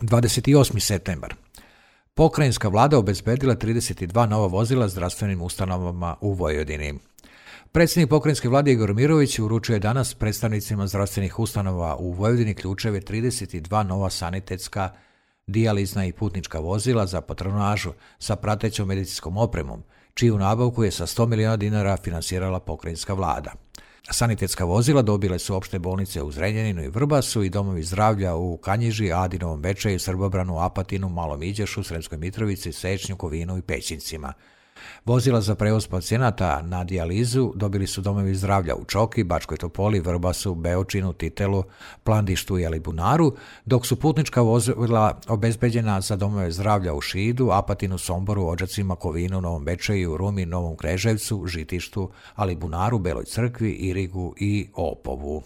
28. septembar. Pokrajinska vlada obezbedila 32 nova vozila zdravstvenim ustanovama u Vojvodini. Predsjednik pokrajinske vlade Igor Mirović uručio je danas predstavnicima zdravstvenih ustanova u Vojvodini ključeve 32 nova sanitetska, dijalizna i putnička vozila za patronažu sa pratećom medicinskom opremom, čiju nabavku je sa 100 miliona dinara finansirala pokrajinska vlada. Sanitetska vozila dobile su opšte bolnice u Zrenjaninu i Vrbasu i domovi zdravlja u Kanjiži, Adinovom Bečeju, Srbobranu, Apatinu, Malom Iđošu, Sremskoj Mitrovici, Sečnju, Kovinu i Pećincima. Vozila za prevoz pacijenata na dijalizu dobili su domovi zdravlja u Čoki, Bačkoj Topoli, Vrbasu, Beočinu, Titelu, Plandištu i Alibunaru, dok su putnička vozila obezbeđena za domove zdravlja u Šidu, Apatinu, Somboru, Odžacima, Kovinu, Novom Bečeju, Rumi, Novom Kreževcu, Žitištu, Alibunaru, Beloj Crkvi, Irigu i Opovu.